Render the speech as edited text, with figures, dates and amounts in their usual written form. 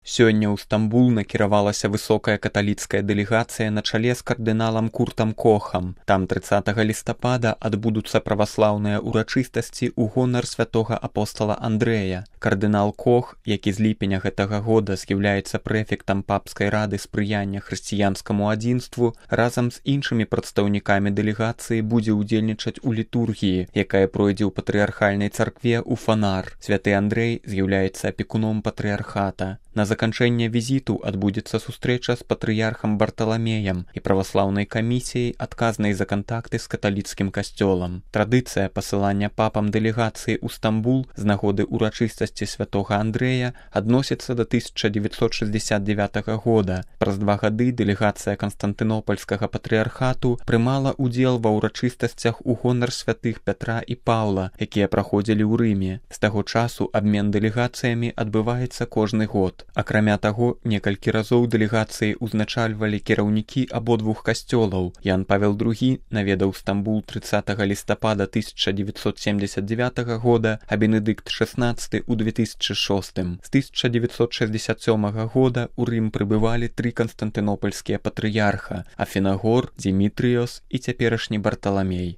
Сёння ў Стамбул накіравалася высокая каталіцкая дэлегацыя на чале з кардыналам Куртам Кохам. Там 30 лістапада адбудуцца праваслаўныя ўрачыстасці ў гонар святога апостала Андрэя. Кардынал Кох, які з ліпеня гэтага года з'яўляецца прэфектам папскай рады спрыяння хрысціянскаму адзінству, разам з іншымі прадстаўнікамі дэлегацыі будзе ўдзельнічаць у літургіі, якая пройдзе ў патрыархальнай царкве ў Фанар. Святы Андрэй з'яўляецца апекуном патрыархата. На заканчэнне візіту адбудзецца сустрэча з патрыярхам Барталамеем і праваслаўнай камісіяй, адказнай за кантакты з каталіцкім касцёлам. Традыцыя пасылання папам дэлегацыі ў Стамбул з нагоды ўрачыстасці святога Андрэя адносіцца да 1969 года. Праз 2 гады дэлегацыя Канстантынопольскага патрыярхату прымала ўдзел ва ўрачыстасцях у гонар святых Пятра і Паўла, якія праходзілі ў Рыме. З таго часу абмен дэлегацыямі адбываецца кожны год. Акрамя таго, некалькі разоў дэлегацыі ўзначальвалі кіраўнікі абодвух касцёлаў. Ян Павел II наведаў Стамбул 30 лістапада 1979 года, а Бенедыкт XVI у 2006. З 1967 года ў Рым прыбывалі 3 канстантынопольскія патрыярха: Афінагор, Дзімітрыёс і цяперашні Барталамей.